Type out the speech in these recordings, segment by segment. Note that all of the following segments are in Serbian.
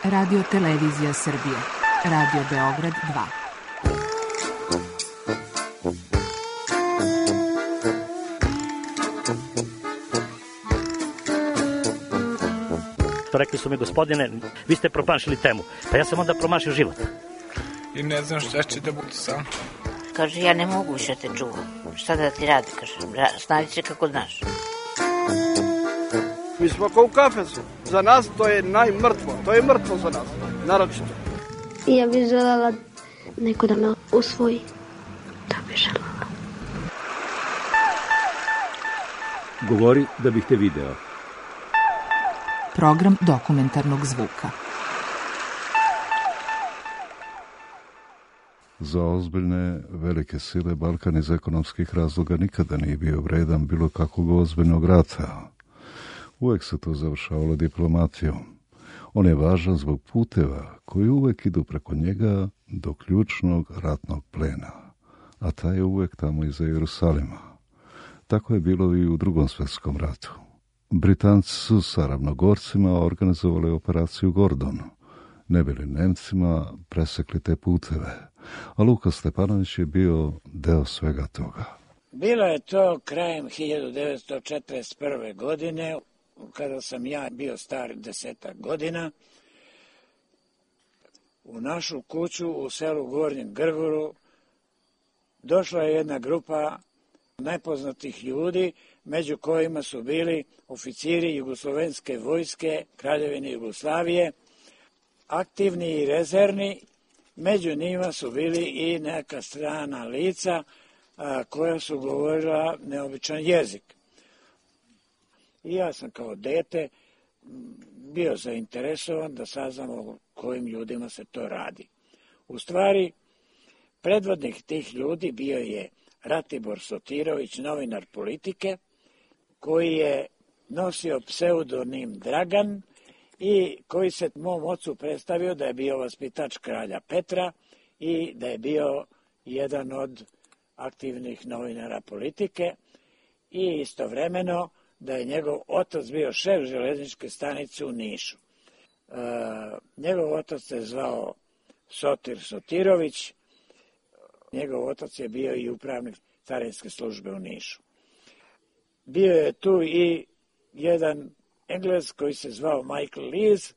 Radio Televizija Srbije. Radio Beograd 2. Rekli su mi, gospodine, vi ste promašili temu. Pa ja sam onda promašio život. I ne znam šta će da bude sam. Kaže, ja ne mogu više te čuvam. Šta da ti radi, kaže, snađi se kako znaš. Mi smo kao u kafesu. Za nas to je najmrtvo. To je mrtvo za nas, naročito. Ja bih želela neko da me usvoji. To bih želela. Govori da bih te video. Program dokumentarnog zvuka. Za ozbiljne velike sile Balkan iz ekonomskih razloga nikada nije bio vredan bilo kakvog ozbiljnog rata. Uvek se to završavalo diplomatijom. On je važan zbog puteva koji uvek idu preko njega do ključnog ratnog plena, a taj je uvek tamo iza Jerusalima. Tako je bilo i u Drugom svjetskom ratu. Britanci su sa ravnogorcima organizovali operaciju Gordon, ne bili Nemcima presekli te puteve, a Luka Stepanović je bio deo svega toga. Bilo je to krajem 1941. godine, kada sam ja bio star 10 godina. U našu kuću u selu Gornjem Grgoru došla je jedna grupa nepoznatih ljudi, među kojima su bili oficiri Jugoslovenske vojske Kraljevine Jugoslavije, aktivni i rezervni. Među njima su bili i neka strana lica koja su govorila neobičan jezik. I ja sam kao dete bio zainteresovan da saznam o kojim ljudima se to radi. U stvari, predvodnik tih ljudi bio je Ratibor Sotirović, novinar Politike, koji je nosio pseudonim Dragan i koji se mom ocu predstavio da je bio vaspitač kralja Petra i da je bio jedan od aktivnih novinara Politike i istovremeno da je njegov otac bio šef železničke stanice u Nišu. Njegov otac se zvao Sotir Sotirović, njegov otac je bio i upravnik carinske službe u Nišu. Bio je tu i jedan Englez koji se zvao Michael Lees.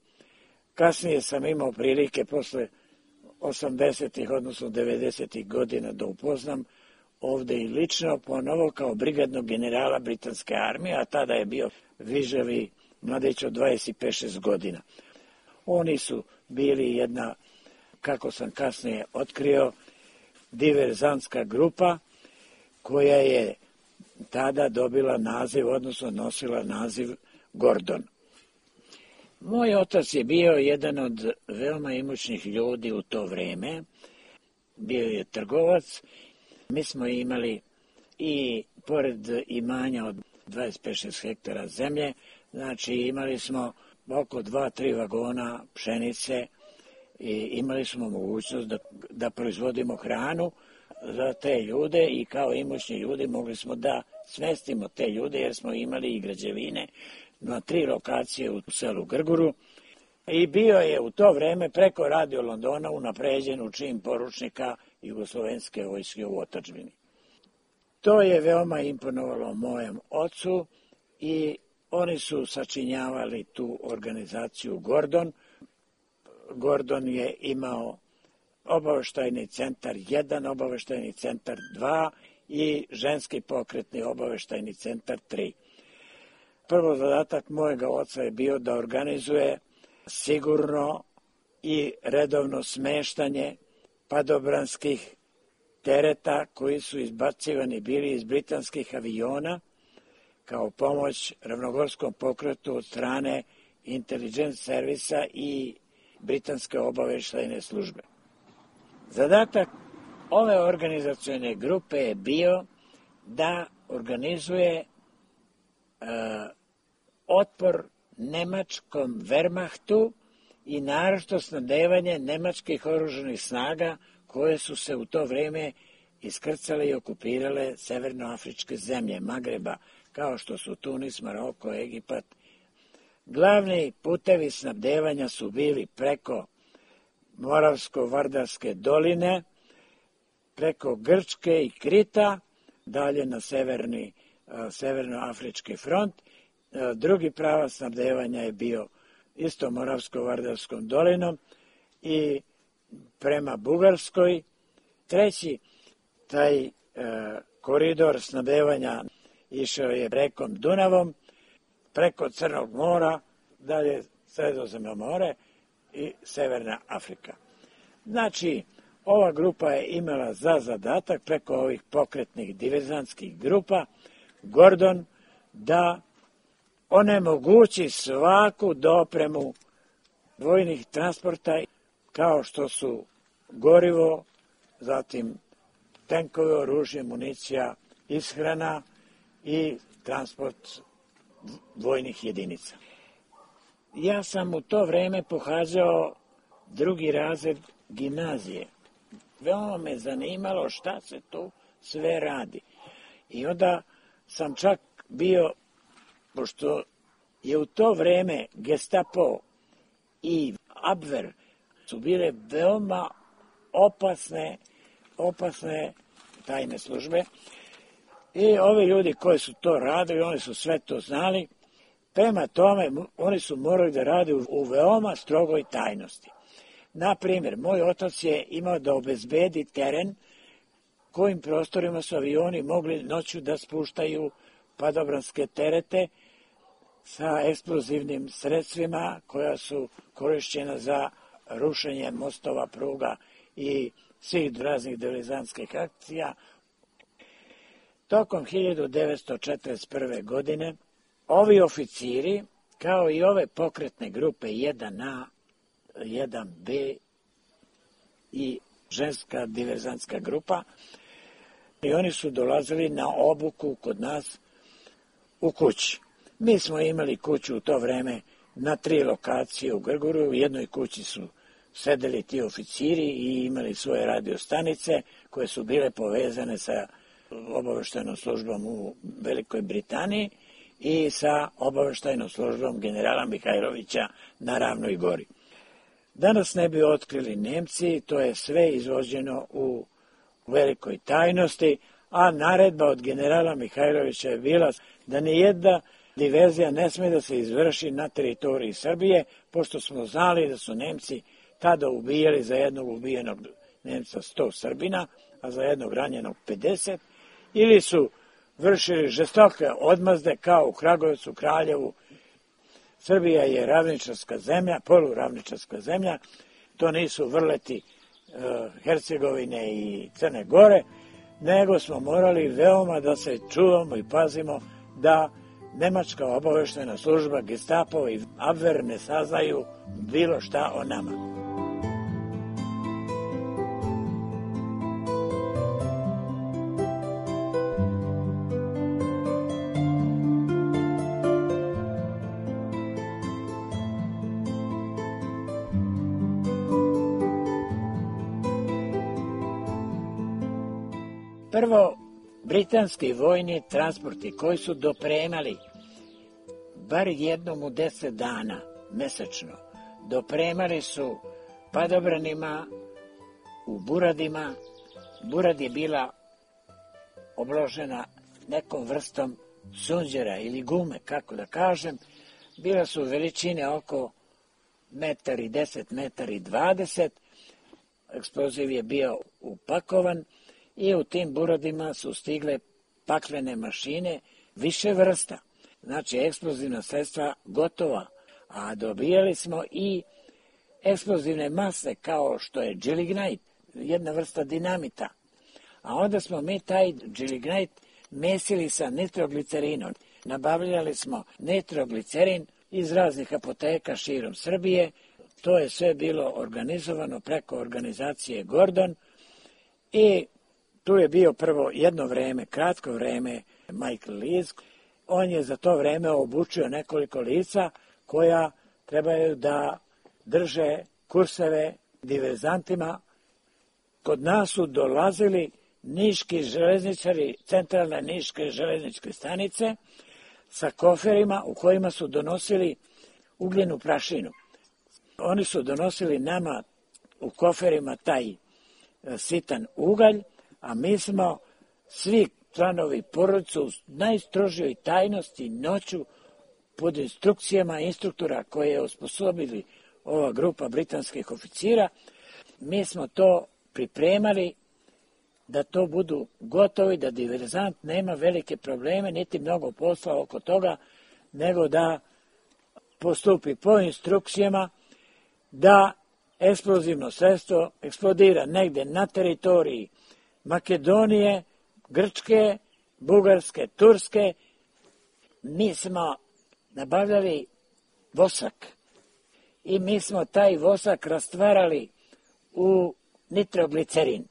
Kasnije sam imao prilike posle 80-ih, odnosno 90-ih godina da upoznam ovde i lično ponovo kao brigadnog generala britanske armije, a tada je bio vižavi mladić od 25-6 godina. Oni su bili jedna, kako sam kasnije otkrio, diverzantska grupa koja je tada dobila naziv, odnosno nosila naziv Gordon. Moj otac je bio jedan od veoma imućnih ljudi u to vreme. Bio je trgovac. Mi smo imali i pored imanja od 25-6 hektara zemlje, znači imali smo oko 2-3 vagona pšenice i imali smo mogućnost da proizvodimo hranu za te ljude i kao imućni ljudi mogli smo da smestimo te ljude jer smo imali i građevine na 3 lokacije u selu Grguru i bio je u to vreme preko Radio Londona unapređen u čin poručnika Jugoslovenske vojske u otadžbini. To je veoma imponovalo mojem ocu i oni su sačinjavali tu organizaciju Gordon. Gordon je imao obaveštajni centar 1, obaveštajni centar 2 i ženski pokretni obaveštajni centar 3. Prvo zadatak mojega oca je bio da organizuje sigurno i redovno smeštanje padobranskih tereta koji su izbacivani bili iz britanskih aviona kao pomoć ravnogorskom pokretu od strane intelligence servisa i britanske obaveštajne službe. Zadatak ove organizacione grupe je bio da organizuje otpor nemačkom Wehrmachtu i naročito snabdevanje nemačkih oružanih snaga koje su se u to vreme iskrcale i okupirale severnoafričke zemlje Magreba, kao što su Tunis, Maroko, Egipat, Glavni putevi snabdevanja su bili preko Moravsko-Vardarske doline, preko Grčke i Krita, dalje na severnoafrički front. Drugi pravac snabdevanja je bio isto Moravsko-Vardarskom dolinom i prema Bugarskoj. Treći, taj koridor snabdevanja išao je rekom Dunavom, preko Crnog mora, dalje Sredozemno more i Severna Afrika. Znači, ova grupa je imala za zadatak preko ovih pokretnih diverzantskih grupa Gordon da onemogući svaku dopremu vojnih transporta kao što su gorivo, zatim tenkove, oružje, municija, ishrana i transport vojnih jedinica. Ja sam u to vreme pohađao 2. razred gimnazije. Veoma me zanimalo šta se tu sve radi. I onda sam čak bio, pošto je u to vreme Gestapo i Abwehr su bile veoma opasne tajne službe, i ovi ljudi koji su to radili, oni su sve to znali. Prema tome, oni su morali da rade u veoma strogoj tajnosti. Na primjer, moj otac je imao da obezbedi teren kojim prostorima su avioni mogli noću da spuštaju padobranske terete sa eksplozivnim sredstvima koja su korišćena za rušenje mostova, pruga i svih raznih diverzantskih akcija. Tokom 1941. godine ovi oficiri, kao i ove pokretne grupe 1A, 1B i ženska diverzantska grupa, i oni su dolazili na obuku kod nas u kući. Mi smo imali kuću u to vreme na 3 lokacije u Grgoru. U jednoj kući su sedeli ti oficiri i imali svoje radio stanice koje su bile povezane sa obaveštajnom službom u Velikoj Britaniji i sa obaveštajnom službom generala Mihajlovića na Ravnoj gori. Danas ne bi otkrili Nemci, to je sve izvođeno u velikoj tajnosti, a naredba od generala Mihajlovića je bila da nijedna diverzija ne sme da se izvrši na teritoriji Srbije, pošto smo znali da su Nemci tada ubijali za jednog ubijenog Nemca 100 Srbina, a za jednog ranjenog 50, ili su vršili žestoke odmazde kao u Kragujevcu, Kraljevu. Srbija je ravničarska zemlja, poluravničarska zemlja, to nisu vrleti Hercegovine i Crne Gore, nego smo morali veoma da se čuvamo i pazimo da nemačka obaveštajna služba, Gestapo i Abwehr ne saznaju bilo šta o nama. Prvo, britanski vojni transporti koji su dopremali bar jednom u 10 dana mesečno, dopremali su padobranima u Buradima. Burad je bila obložena nekom vrstom sunđera ili gume, kako da kažem. Bila su veličine oko 1,10 m, 1,20 m. Eksploziv je bio upakovan i u tim Buradima su stigle paklene mašine više vrsta. Znači, eksplozivna sredstva gotova, a dobijali smo i eksplozivne mase kao što je džilignajt, jedna vrsta dinamita. A onda smo mi taj džilignajt mesili sa nitroglicerinom. Nabavljali smo nitroglicerin iz raznih apoteka širom Srbije. To je sve bilo organizovano preko organizacije Gordon i tu je bio prvo jedno vreme, kratko vreme, Michael Lees. On je za to vreme obučio nekoliko lica koja trebaju da drže kurseve diverzantima. Kod nas su dolazili niški železničari, centralne niške železničke stanice sa koferima u kojima su donosili ugljenu prašinu. Oni su donosili nama u koferima taj sitan ugalj, a mi smo svi članovi porodice u najstrožijoj tajnosti noću pod instrukcijama instruktora koje je osposobili ova grupa britanskih oficira. Mi smo to pripremali da to budu gotovi, da diverzant nema velike probleme, niti mnogo posla oko toga, nego da postupi po instrukcijama, da eksplozivno sredstvo eksplodira negde na teritoriji Makedonije, Grčke, Bugarske, Turske. Mi smo nabavljali vosak i mi smo taj vosak rastvarali u nitroglicerin.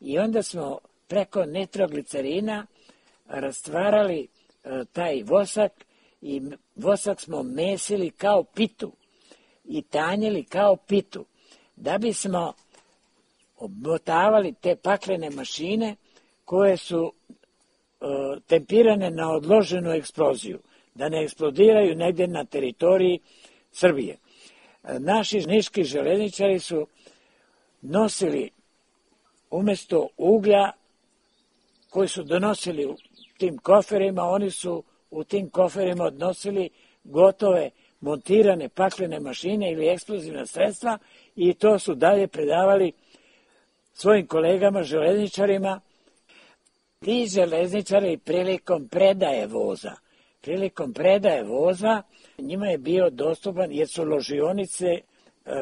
I onda smo preko nitroglicerina rastvarali taj vosak i vosak smo mesili kao pitu i tanjili kao pitu, da bismo obmotavali te paklene mašine koje su tempirane na odloženu eksploziju, da ne eksplodiraju negdje na teritoriji Srbije. Naši niški železničari su nosili umjesto uglja koji su donosili u tim koferima, oni su u tim koferima odnosili gotove montirane paklene mašine ili eksplozivna sredstva i to su dalje predavali svojim kolegama železničarima. Ti železničari prilikom predaje voza, njima je bio dostupan jer su ložionice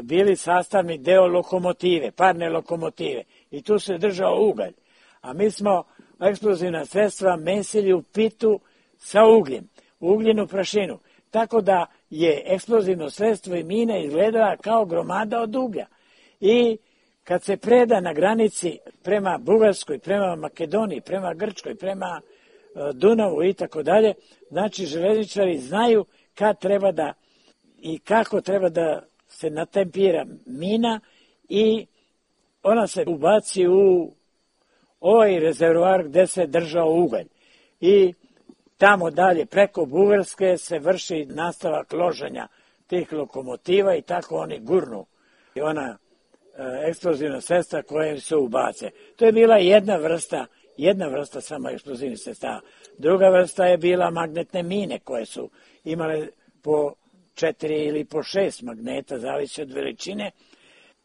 bili sastavni deo lokomotive, parne lokomotive i tu se držao ugalj. A mi smo eksplozivna sredstva mesili u pitu sa ugljem, ugljenu prašinu. Tako da je eksplozivno sredstvo i mina izgledala kao gromada od uglja. I kad se preda na granici prema Bugarskoj, prema Makedoniji, prema Grčkoj, prema Dunavu i tako dalje, znači železničari znaju kad treba da i kako treba da se natempira mina i ona se ubaci u ovaj rezervoar gde se držao ugalj. I tamo dalje preko Bugarske se vrši nastavak loženja tih lokomotiva i tako oni gurnu i ona eksplozivna sredstva koje se ubace. To je bila jedna vrsta samo eksplozivnih sredstava. Druga vrsta je bila magnetne mine koje su imale po 4 ili po 6 magneta, zavisi od veličine.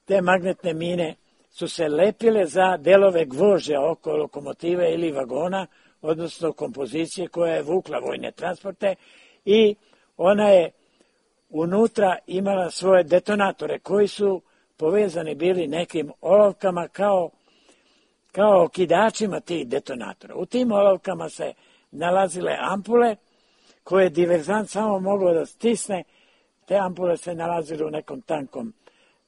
Te magnetne mine su se lepile za delove gvožđa oko lokomotive ili vagona, odnosno kompozicije koja je vukla vojne transporte i ona je unutra imala svoje detonatore koji su povezani bili nekim olovkama kao okidačima tih detonatora. U tim olovkama se nalazile ampule koje je diverzant samo mogao da stisne. Te ampule se nalazile u nekom tankom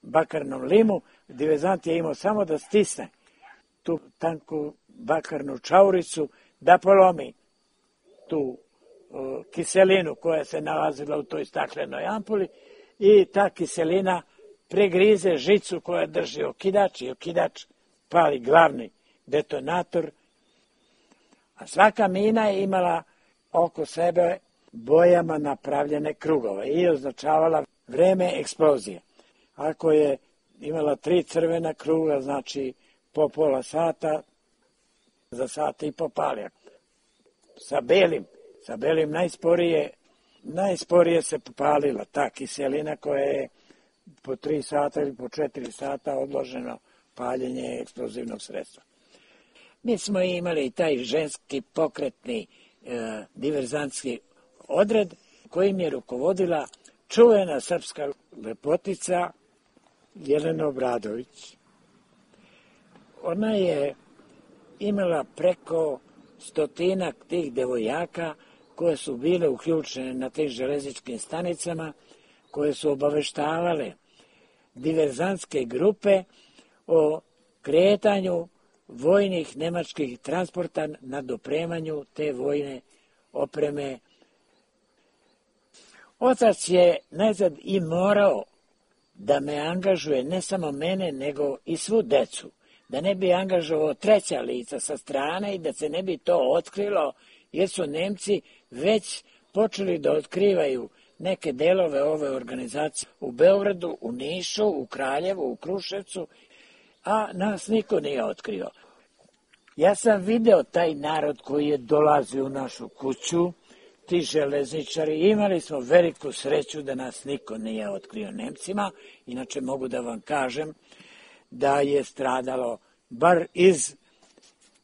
bakarnom limu. Diverzant je imao samo da stisne tu tanku bakarnu čauricu, da polomi tu kiselinu koja se nalazila u toj staklenoj ampuli i ta kiselina pregrize žicu koja drži okidač i okidač pali glavni detonator. A svaka mina je imala oko sebe bojama napravljene krugove i označavala vreme eksplozije. Ako je imala 3 crvena kruga, znači po pola sata, za sat i po pali. Sa belim najsporije se popalila ta kiselina koja je po 3 sata ili po 4 sata odloženo paljenje eksplozivnog sredstva. Mi smo imali taj ženski pokretni diverzantski odred kojim je rukovodila čuvena srpska lepotica Jelena Obradović. Ona je imala preko 100 tih devojaka koje su bile uključene na tim železničkim stanicama, koje su obaveštavale diverzantske grupe o kretanju vojnih nemačkih transporta na dopremanju te vojne opreme. Otac je najzad i morao da me angažuje, ne samo mene, nego i svu decu, da ne bi angažovao treća lica sa strane i da se ne bi to otkrilo, jer su Nemci već počeli da otkrivaju neke delove ove organizacije u Beogradu, u Nišu, u Kraljevu, u Kruševcu, a nas niko nije otkrio. Ja sam video taj narod koji je dolazio u našu kuću, ti železničari, imali smo veliku sreću da nas niko nije otkrio Nemcima, inače mogu da vam kažem da je stradalo, bar iz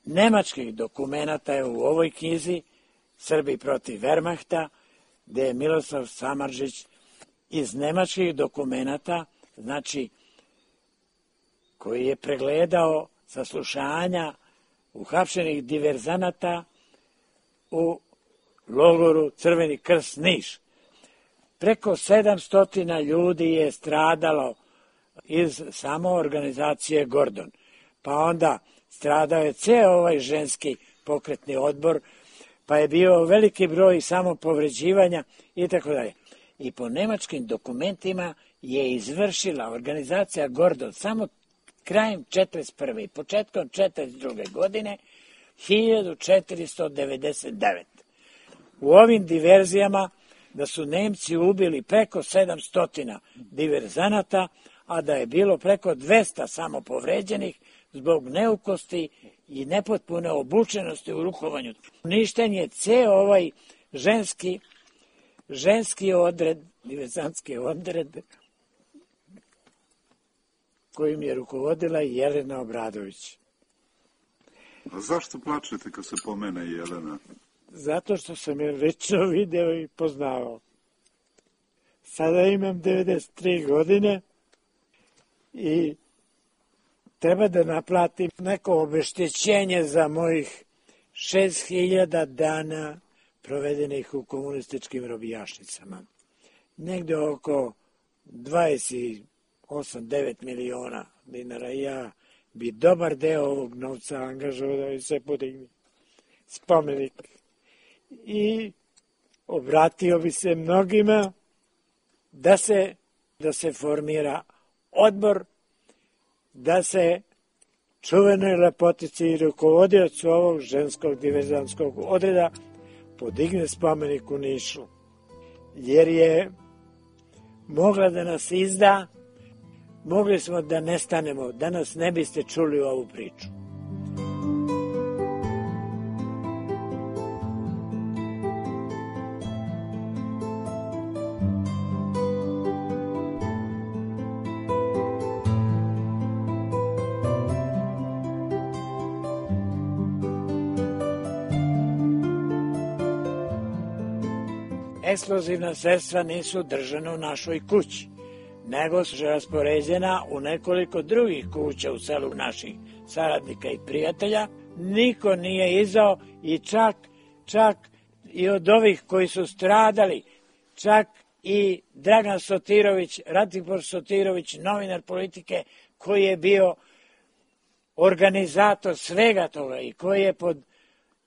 nemačkih dokumenata, evo u ovoj knjizi, Srbi protiv Wehrmachta, gde je Miroslav Samardžić iz nemačkih dokumenata, znači koji je pregledao saslušanja uhapšenih diverzanata u logoru Crveni krst Niš. Preko 700 ljudi je stradalo iz samo organizacije Gordon. Pa onda stradao je ceo ovaj ženski pokretni odbor, pa je bio veliki broj samopovređivanja i tako dalje. I po nemačkim dokumentima je izvršila organizacija Gordon samo krajem 1941. i početkom 1942. godine 1499. U ovim diverzijama da su Nemci ubili preko 700 diverzanata, a da je bilo preko 200 samopovređenih zbog neukosti i nepotpune obučenosti u rukovanju. Uništen je ceo ovaj ženski odred, diverzantski odred, kojim je rukovodila Jelena Obradović. A zašto plačete kad se pomene Jelena? Zato što sam je lično video i poznavao. Sada imam 93 godine i treba da naplatim neko obeštećenje za mojih 6000 dana provedenih u komunističkim robijašnicama. Negde oko 28-9 miliona dinara. Ja bi dobar deo ovog novca angažovao da bi se podigne spomenik. I obratio bi se mnogima da se formira odbor, da se čuvenoj lepotici i rukovodiocu ovog ženskog diverzantskog odreda podigne spomenik u Nišu. Jer je mogla da nas izda, mogli smo da nestanemo, danas ne biste čuli ovu priču. Eksplozivna sredstva nisu držana u našoj kući, nego su raspoređena u nekoliko drugih kuća u selu naših saradnika i prijatelja. Niko nije izdao i čak i od ovih koji su stradali, čak i Dragan Sotirović, Ratibor Sotirović, novinar Politike, koji je bio organizator svega toga i koji je pod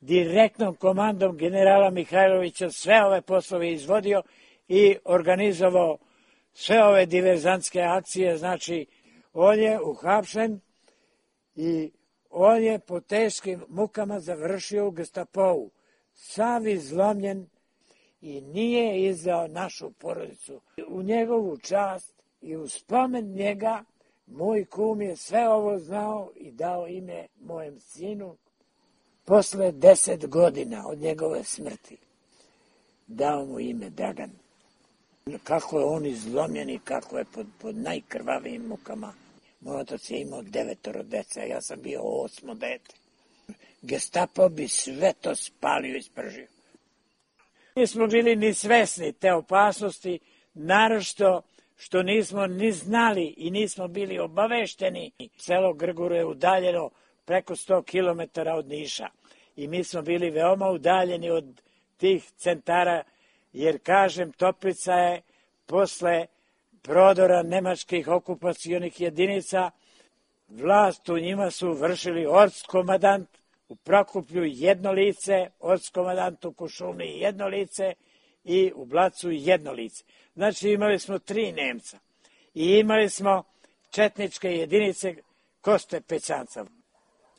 direktnom komandom generala Mihajlovića sve ove poslove izvodio i organizovao sve ove diverzantske akcije. Znači, on je uhapšen i on je po teškim mukama završio u Gestapovu, sav izlomljen i nije izdao našu porodicu. U njegovu čast i u spomen njega moj kum je sve ovo znao i dao ime mojem sinu. Posle 10 godina od njegove smrti dao mu ime Dragan. Kako je on izlomljen i kako je pod najkrvavijim mukama. Moj otac je imao 9 dece, ja sam bio 8 dete. Gestapo bi sve to spalio i spržio. Nismo bili ni svesni te opasnosti, naročito što nismo ni znali i nismo bili obavešteni. Selo Grguro je udaljeno preko 100 km od Niša i mi smo bili veoma udaljeni od tih centara, jer, kažem, Toplica je posle prodora nemačkih okupacionih jedinica, vlast u njima su vršili ortskomandant u Prokuplju jedno lice, ortskomandant u Kušumliji jedno lice i u Blacu jedno lice. Znači, imali smo 3 Nemca i imali smo četničke jedinice Koste Pećanca.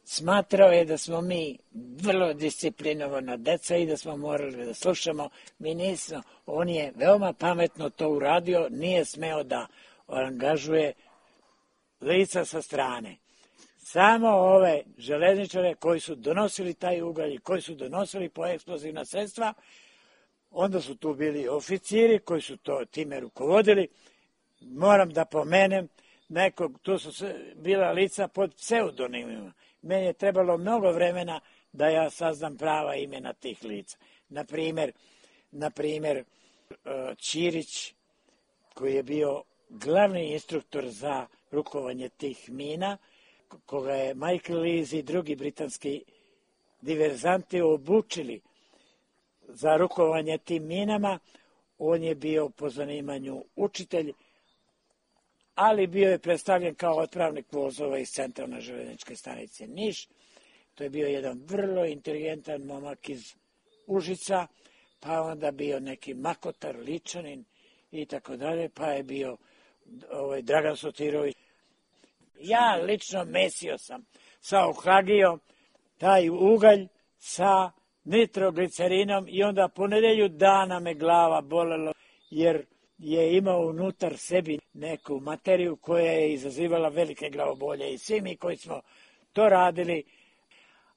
Smatrao je da smo mi vrlo disciplinovana deca i da smo morali da slušamo. Mi nismo, on je veoma pametno to uradio, nije smeo da angažuje lica sa strane. Samo ove železničare koji su donosili taj ugalj i koji su donosili po eksplozivna sredstva, onda su tu bili oficiri koji su time rukovodili. Moram da pomenem nekog, tu su bila lica pod pseudonimima. Meni je trebalo mnogo vremena da ja saznam prava imena tih lica. Naprimer, Ćirić, koji je bio glavni instruktor za rukovanje tih mina, koga je Michael Lees i drugi britanski diverzanti obučili za rukovanje tim minama. On je bio po zanimanju učitelj, ali bio je predstavljen kao otpravnik vozova iz centralne železničke stanice Niš. To je bio jedan vrlo inteligentan momak iz Užica, pa onda bio neki Makotar, Ličanin i tako dalje, pa je bio Dragan Sotirović. Ja lično mesio sam sa ohlagijom taj ugalj sa nitroglicerinom i onda po nedelju dana me glava bolelo jer je imao unutar sebi neku materiju koja je izazivala velike glavobolje i svi mi koji smo to radili,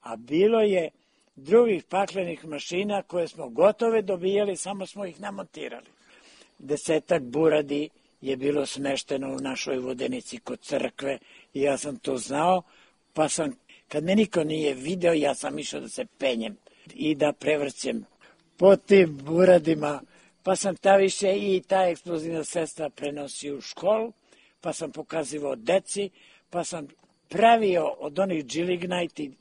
a bilo je drugih paklenih mašina koje smo gotove dobijali, samo smo ih namontirali. 10 buradi je bilo smešteno u našoj vodenici kod crkve i ja sam to znao, pa sam, kad me niko nije video, ja sam išao da se penjem i da prevrćem po tim buradima, pa sam više i ta eksplozivna sredstva prenosio u školu, pa sam pokazivao deci, pa sam pravio od onih džilignajti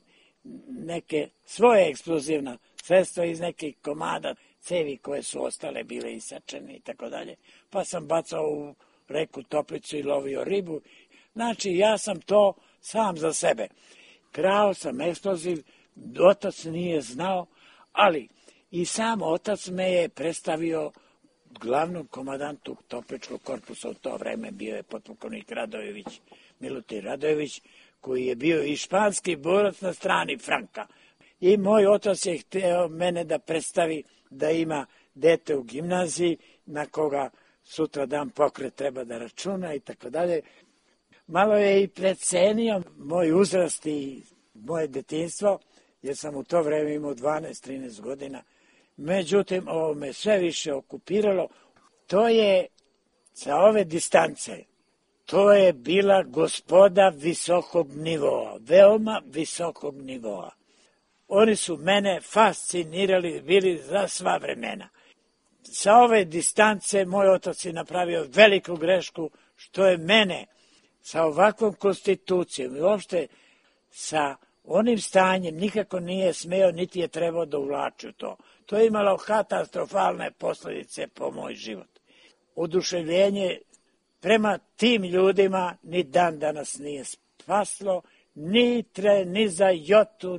neke svoje eksplozivna sredstva iz nekih komada cevi koje su ostale bile isečene i tako dalje. Pa sam bacao u reku Toplicu i lovio ribu. Znači, ja sam to sam za sebe. Krao sam eksploziv, otac nije znao, ali i sam otac me je predstavio glavnom komandantu Topličkog korpusa. U to vreme bio je potpukovnik Radojević, Milutin Radojević, koji je bio i španski borac na strani Franka. I moj otac je hteo mene da predstavi da ima dete u gimnaziji na koga sutra dan pokret treba da računa i tako dalje. Malo je i precenio moj uzrast i moje detinjstvo, jer sam u to vreme imao 12-13 godina. Međutim, ovo me sve više okupiralo. To je, sa ove distance, to je bila gospoda visokog nivoa, veoma visokog nivoa. Oni su mene fascinirali, bili za sva vremena. Sa ove distance moj otac je napravio veliku grešku, što je mene sa ovakvom konstitucijom i uopšte sa onim stanjem nikako nije smeo, niti je trebao da uvlači u to. To je imalo katastrofalne posljedice po moj život. Oduševljenje prema tim ljudima ni dan danas nije spaslo, ni za jotu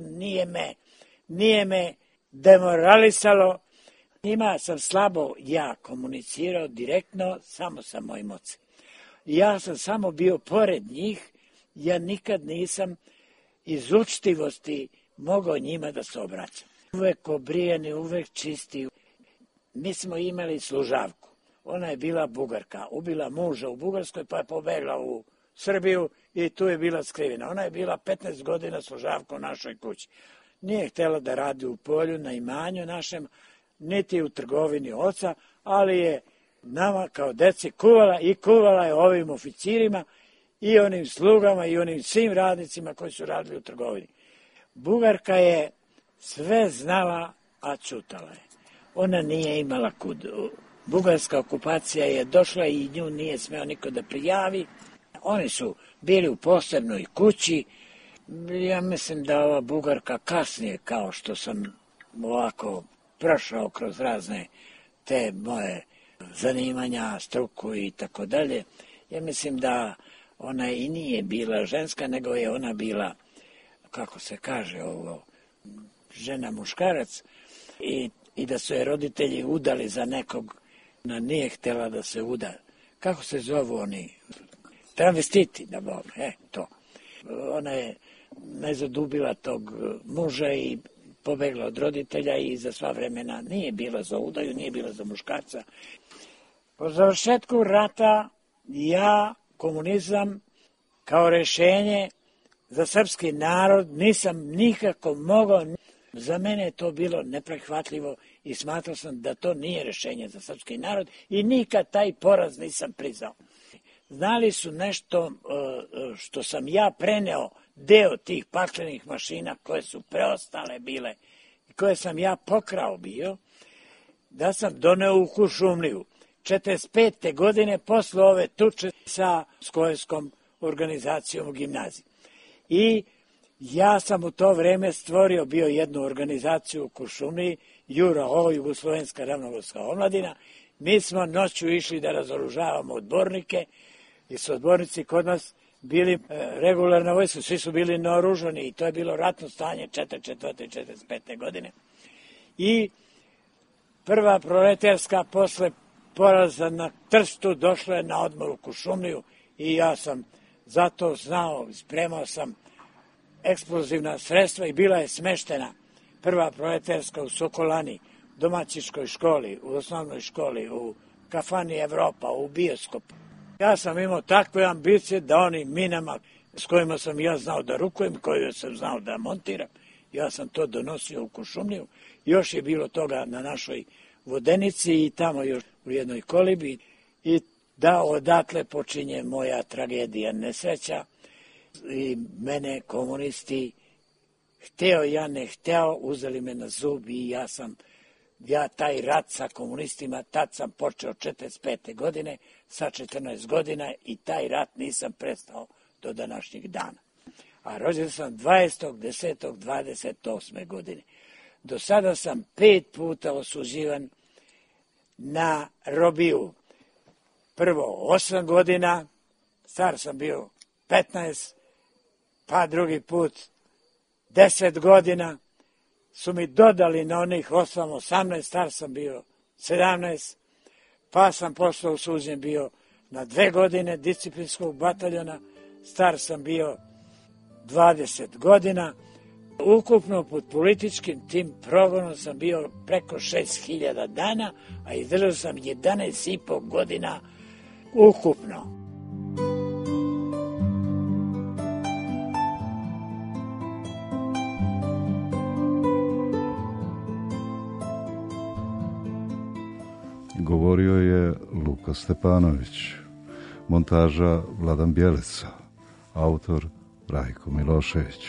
nije me demoralisalo. Njima sam slabo komunicirao direktno samo sa mojim ocem. Ja sam samo bio pored njih, ja nikad nisam iz učtivosti mogao njima da se obraćam. Uvek obrijeni, uvek čisti. Mi smo imali služavku. Ona je bila Bugarka, ubila muža u Bugarskoj pa je pobegla u Srbiju i tu je bila skrivena. Ona je bila 15 godina služavka u našoj kući. Nije htjela da radi u polju, na imanju našem, niti u trgovini oca, ali je nama kao deci kuvala je ovim oficirima i onim slugama i onim svim radnicima koji su radili u trgovini. Bugarka je sve znala, a čutala je. Ona nije imala kud. Bugarska okupacija je došla i nju nije smeo niko da prijavi. Oni su bili u posebnoj kući. Ja mislim da ova Bugarka kasnije, kao što sam ovako prošao kroz razne te moje zanimanja, struku i tako dalje, ja mislim da ona i nije bila ženska, nego je ona bila, kako se kaže ovo, žena muškarac i da su je roditelji udali za nekog, ona nije htjela da se uda. Kako se zovu oni? Travestiti, da bom, to. Ona je ne zadubila tog muža i pobegla od roditelja i za sva vremena nije bila za udaju, nije bila za muškarca. Po završetku rata ja komunizam kao rešenje za srpski narod nisam nikako mogao. Za mene je to bilo neprihvatljivo i smatrao sam da to nije rešenje za srpski narod i nikad taj poraz nisam priznao. Znali su nešto što sam ja preneo, deo tih paklenih mašina koje su preostale bile i koje sam ja pokrao bio, da sam doneo u Kuršumliju. 45. godine posle ove tuče sa Skojevskom organizacijom u gimnaziji. I ja sam u to vreme stvorio bio jednu organizaciju u Kuršumliji, JURA, Jugoslovenska ravnogorska omladina. Mi smo noću išli da razoružavamo odbornike i su odbornici kod nas bili regularna vojska, svi su bili naoružani i to je bilo ratno stanje 44. i 45. godine. I prva proletarska posle poraza na Trstu došla je na odmor u Kuršumliju i ja sam zato znao, spremao sam eksplozivna sredstva i bila je smeštena prva proletarska u Sokolani, domaćiškoj školi, u osnovnoj školi, u kafani Evropa, u bioskopu. Ja sam imao takve ambicije da onim minama s kojima sam ja znao da rukujem, koje sam znao da montiram, ja sam to donosio u Kuršumliju. Još je bilo toga na našoj Vodenici i tamo još u jednoj kolibi i da odatle počinje moja tragedija, nesreća i mene komunisti, hteo ja ne hteo, uzeli me na zub i ja taj rat sa komunistima, tad sam počeo 45. godine, sa 14 godina i taj rat nisam prestao do današnjeg dana. A rođen sam 20.10.28. godine. Do sada sam 5 puta osuđivan na robiju. Prvo 8 godina, star sam bio 15, pa drugi put 10 godina, su mi dodali na onih 18, star sam bio 17, pa sam posle osuđen bio na 2 godine disciplinskog bataljona, star sam bio 20 godina. Ukupno pod političkim tim progonom sam bio preko 6.000 dana, a izdržao sam 11,5 godina ukupno. Govorio je Luka Stepanović, montaža Vladan Bjelica, autor Rajko Milošević.